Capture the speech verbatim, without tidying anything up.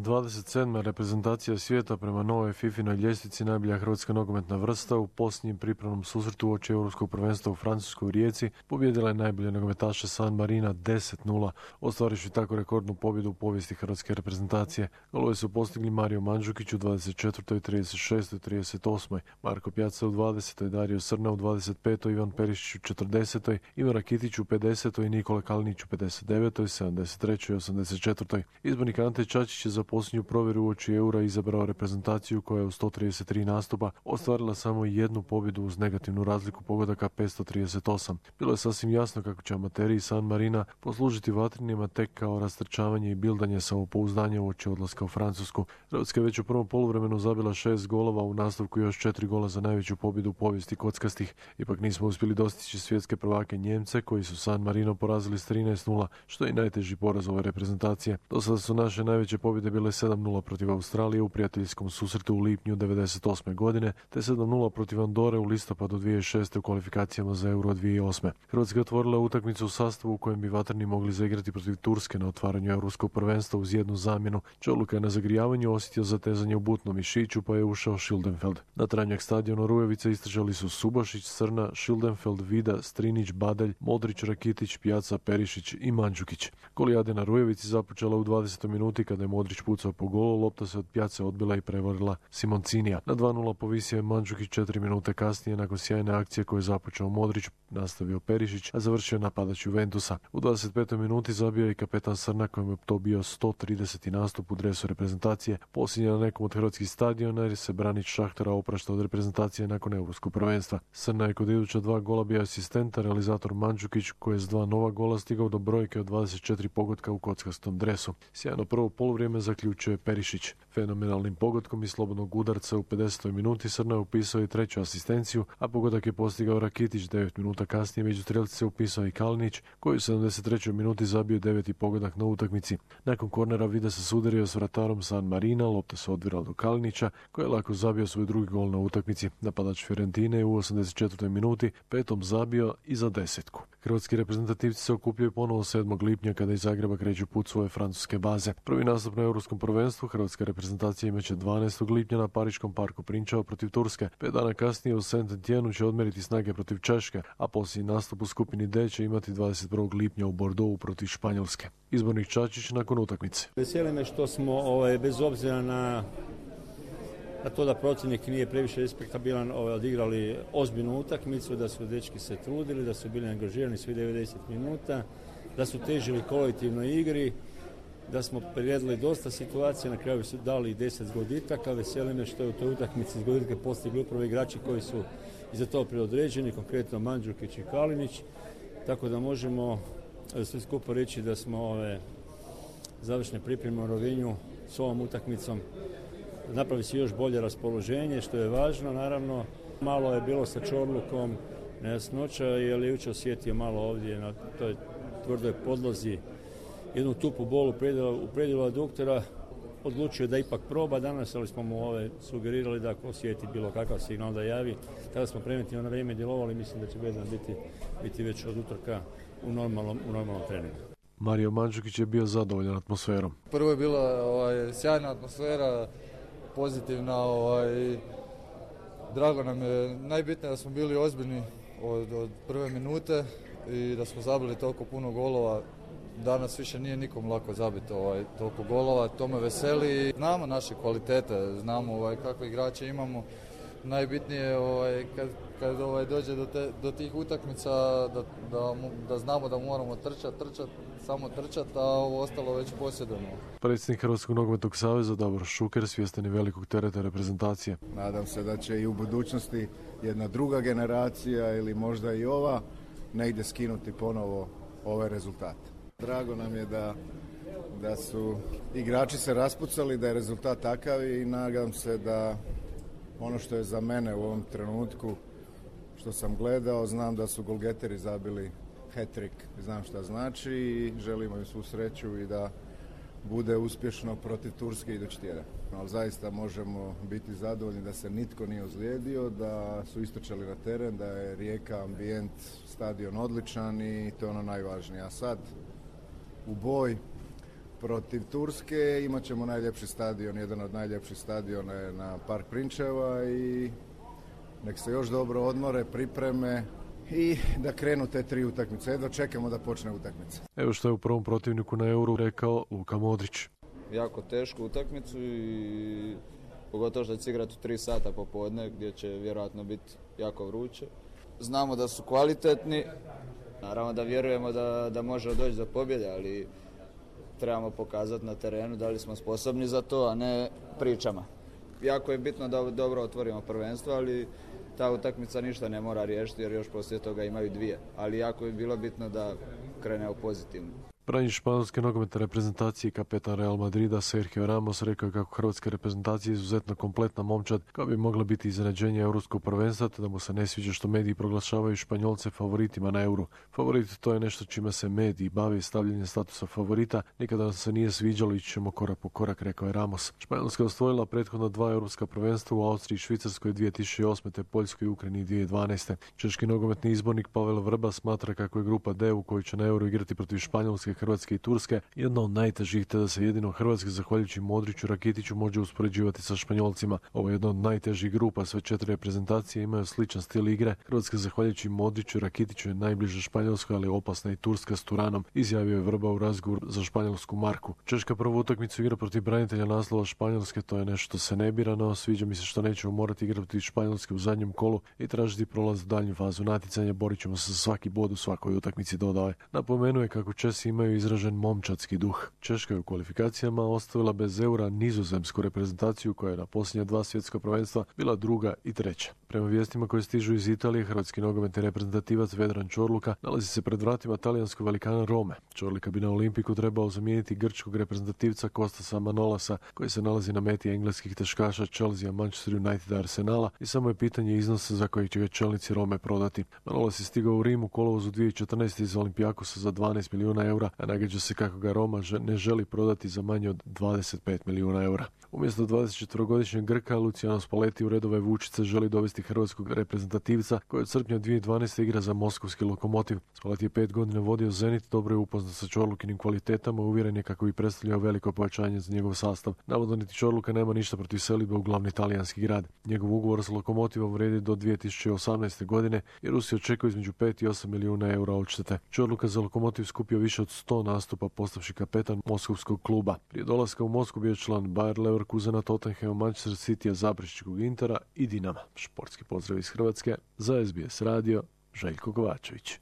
dvadeset sedma reprezentacija svijeta prema novoj fifinoj ljestvici najbolja hrvatska nogometna vrsta u posljednjem pripremnom susretu uoči Europskog prvenstva u Francuskoj u Rijeci pobijedila je najbolje nogometaše San Marina deset nula, ostvarivši tako rekordnu pobjedu u povijesti hrvatske reprezentacije. Golove su postigli Mario Mandžukić u dvadeset četvrtoj, trideset šestoj, trideset osmoj, Marko Pjaca u dvadesetoj, Dario Srna u dvadeset petoj, Ivan Perišić u četrdesetoj, Ivan Rakitić u pedesetoj i Nikola Kalinić u pedeset devetoj, sedamdeset trećoj i osamdeset četvrtoj. Izbornik Ante Čačić je za posljednju provjeru uoči Eura izabrao reprezentaciju koja je u sto trideset tri nastupa ostvarila samo jednu pobjedu uz negativnu razliku pogodaka petsto trideset osam. Bilo je sasvim jasno kako će amateri San Marina poslužiti vatrinima tek kao rastrčavanje i bildanje samopouzdanja uoči odlaska u Francusku. Hrvatska je već u prvom poluvremenu zabila šest golova, u nastavku još četiri gola za najveću pobjedu u povijesti kockastih. Ipak nismo uspjeli dostići svjetske prvake Njemce koji su San Marino porazili s trinaest nula, što je i najteži poraz ove reprezentacije. Do sada su naše najveće pobjede bile sedam nula protiv Australije u prijateljskom susretu u lipnju devedeset osme godine, te sedam nula protiv Andore u listopadu dvije tisuće šeste u kvalifikacijama za Euro dvije tisuće osme. Hrvatska je otvorila utakmicu u sastavu u kojem bi vatreni mogli zaigrati protiv Turske na otvaranju Europskog prvenstva uz jednu zamjenu. Čoluka je na zagrijavanju osjetio zatezanje u butnom mišiću pa je ušao Schildenfeld. Na Tranjak stadionu Rujevice istražali su Subašić, Srna, Schildenfeld, Vida, Strinić, Badalj, Modrić, Rakitić, Pjaca, Perišić i Mandžukić. Golijade na Rujevici započela u dvadesetoj minuti kada je Modrić pucao po golu, lopta se od Pjace odbila i prevarila Simoncinija. Na dva nula povisio je Mandžukić četiri minute kasnije nakon sjajne akcije koju je započeo Modrić, nastavio Perišić, a završio napadač Juventusa. U dvadeset petoj minuti zabio je i kapetan Srna kojem je to bio sto trideseti nastup u dresu reprezentacije, posljednji na nekom od hrvatskih stadiona jer se branič Šahtara oprašta od reprezentacije nakon Europskog prvenstva. Srna je kod iduća dva gola bio asistenta, realizator Mandžukić koji je s dva nova gola stigao do brojke od dvadeset četiri pogotka u kockastom dresu. Sjajno prvo poluvrijeme zaključuje Perišić. Fenomenalnim pogodkom i slobodnog udarca u pedesetoj minuti Srna je upisao i treću asistenciju, a pogodak je postigao Rakitić. Devet minuta kasnije među strelci se upisao i Kalinić koji u sedamdeset trećoj minuti zabio deveti pogodak na utakmici. Nakon kornera Vida se sudario s vratarom San Marina, lopta se odvirala do Kalinića koji je lako zabio svoj drugi gol na utakmici. Napadač Fiorentine je u osamdeset četvrtoj minuti petom zabio i za desetku. Hrvatski reprezentativci se okupljaju ponovo sedmog lipnja kada iz Zagreba kreću put svoje francuske baze. Prvi nastup na Europskom prvenstvu hrvatska reprezentacija imaće dvanaestog lipnja na Pariškom parku Prinčeva protiv Turske. Pet dana kasnije u Saint-Étienne će odmeriti snage protiv Češke, a posljednji nastup u skupini D će imati dvadeset prvog lipnja u Bordeauxu protiv Španjolske. Izbornik Čačić nakon utakmice. Veseli me što smo ovaj, bez obzira na na to da protivnik nije previše respektabilan, ovaj, odigrali ozbiljnu utakmicu, da su dečki se trudili, da su bili angažirani svi devedeset minuta, da su težili kolektivnoj igri, da smo priredili dosta situacija, na kraju su dali deset zgoditaka. Veseli me što je u toj utakmici zgoditke postigli upravo igrači koji su i za to predodređeni, konkretno Mandžukić i Kalinić, tako da možemo sve skupo reći da smo ove završne pripreme u Rovinju s ovom utakmicom napravi se još bolje raspoloženje, što je važno. Naravno, malo je bilo sa Čorlukom nejasnoća, jer je jučer osjetio malo ovdje na toj tvrdoj podlozi jednu tupu bolu u predjelu aduktora. Odlučio da ipak proba danas, ali smo mu ove sugerirali da ako osjeti bilo kakav signal da javi. Tada smo preventivno na vrijeme djelovali, mislim da će Bezdan biti, biti već od utorka u normalnom, u normalnom treningu. Mario Mandžukić je bio zadovoljan atmosferom. Prvo je bila ovaj, sjajna atmosfera, pozitivna, ovaj, drago nam je, najbitnije da smo bili ozbiljni od, od prve minute i da smo zabili toliko puno golova. Danas više nije nikom lako zabiti ovaj, toliko golova, to me veseli. Znamo naše kvalitete, znamo ovaj, kakve igrače imamo. Najbitnije je ovaj, kad, kad ovaj, dođe do, te, do tih utakmica da, da, da znamo da moramo trčati, trčati, samo trčati, a ovo ostalo već posjedujemo. Predsjednik Hrvatskog nogometnog saveza Davor Šuker svjestan je velikog tereta reprezentacije. Nadam se da će i u budućnosti jedna druga generacija ili možda i ova negdje skinuti ponovo ove rezultate. Drago nam je da, da su igrači se raspucali, da je rezultat takav i nadam se da ono što je za mene u ovom trenutku, što sam gledao, znam da su golgeteri zabili hat-trick, znam šta znači i želimo im svu sreću i da bude uspješno protiv Turske idući tjedan. Ali zaista možemo biti zadovoljni da se nitko nije ozlijedio, da su istrčali na teren, da je Rijeka, ambijent, stadion odličan i to je ono najvažnije. A sad u boj Protiv Turske imat ćemo najljepši stadion, jedan od najljepših stadiona je na Park Prinčeva i nek se još dobro odmore, pripreme i da krenu te tri utakmice. Jedva čekamo da počne utakmica. Evo što je u prvom protivniku na Euru rekao Luka Modrić. Jako tešku utakmicu i pogotovo što će igrati u tri sata popodne gdje će vjerojatno biti jako vruće. Znamo da su kvalitetni, naravno da vjerujemo da, da može doći do pobjede, ali trebamo pokazati na terenu da li smo sposobni za to, a ne pričama. Jako je bitno da dobro otvorimo prvenstvo, ali ta utakmica ništa ne mora riješiti jer još poslije toga imaju dvije. Ali jako je bilo bitno da krenemo pozitivno. Branitelj španjolske nogometne reprezentacije i kapetan Real Madrida Sergio Ramos rekao je kako hrvatska reprezentacija je izuzetno kompletna momčad koja bi mogla biti iznenađenje europskog prvenstva, te da mu se ne sviđa što mediji proglašavaju Španjolce favoritima na Euru. Favorit to je nešto čime se mediji bave, stavljanje statusa favorita. Nikada nam se nije sviđalo, ići ćemo korak po korak, rekao je Ramos. Španjolska je osvojila prethodno dva europska prvenstva u Austriji i Švicarskoj dvije tisuće osme te Poljskoj i Ukrajini dvije tisuće dvanaeste. Češki nogometni izbornik Pavel Vrba smatra kako je grupa D u kojoj će na Euru igrati protiv Španjolske, Hrvatske i Turske jedna od najtežih, te da se jedino Hrvatska zahvaljujući Modriću Rakitiću može uspoređivati sa Španjolcima. Ovo je jedna od najtežih grupa, sve četiri reprezentacije imaju sličan stil igre. Hrvatska zahvaljujući Modriću Rakitiću je najbliže Španjolskoj, ali opasna i Turska s Turanom, izjavio je Vrba u razgovoru za španjolsku Marku. Češka prvu utakmicu igra protiv branitelja naslova Španjolske, to je nešto što se ne bira, no sviđa mi se što nećemo morati igrati protiv Španjolske u zadnjem kolu i tražiti prolaz u daljnju fazu natjecanja. Borit ćemo se za svaki bod u svakoj utakmici, dodao je. Napomenuo je kako Česi imaju izražen momčadski duh. Češka je u kvalifikacijama ostavila bez Eura nizozemsku reprezentaciju koja je na posljednja dva svjetska prvenstva bila druga i treća. Prema vijestima koje stižu iz Italije, hrvatski nogometni reprezentativac Vedran Čorluka nalazi se pred vratima talijanskog velikana Rome. Čorluka bi na Olimpiku trebao zamijeniti grčkog reprezentativca Kostasa Manolasa koji se nalazi na meti engleskih teškaša Chelsea, Manchester United, Arsenala i samo je pitanje iznosa za kojeg će ga čelnici Rome prodati. Manolas je stigao u Rim u kolovozu dvije tisuće četrnaeste iz Olimpijakosa za dvanaest milijuna eura, a nagađa se kako ga Roma ne želi prodati za manje od dvadeset pet milijuna eura. Umjesto dvadesetčetverogodišnjeg Grka, Luciano Spalletti u redove Vučice želi dovesti hrvatskog reprezentativca koji od srpnja dvije tisuće dvanaeste igra za moskovski Lokomotiv. Spalletti je pet godina vodio Zenit, dobro je upoznat sa Čorlukinim kvalitetama, uvjeren je kako bi predstavljao veliko pojačanje za njegov sastav. Navodno niti Čorluka nema ništa protiv selidbe u glavni talijanski grad. Njegov ugovor s Lokomotivom vrijedi do dvije tisuće osamnaeste godine i Rusi očekuju između pet i osam milijuna eura odštete. Čorluka za Lokomotiv skupio više od sto nastupa postavši kapetan moskovskog kluba. Prije dolaska u Moskvu bio je član Bayer Leverkusena, Tottenhama, Manchester Citya, Zaprešičkog Intera i Dinama. Športski pozdrav iz Hrvatske za S B S radio, Željko Kovačević.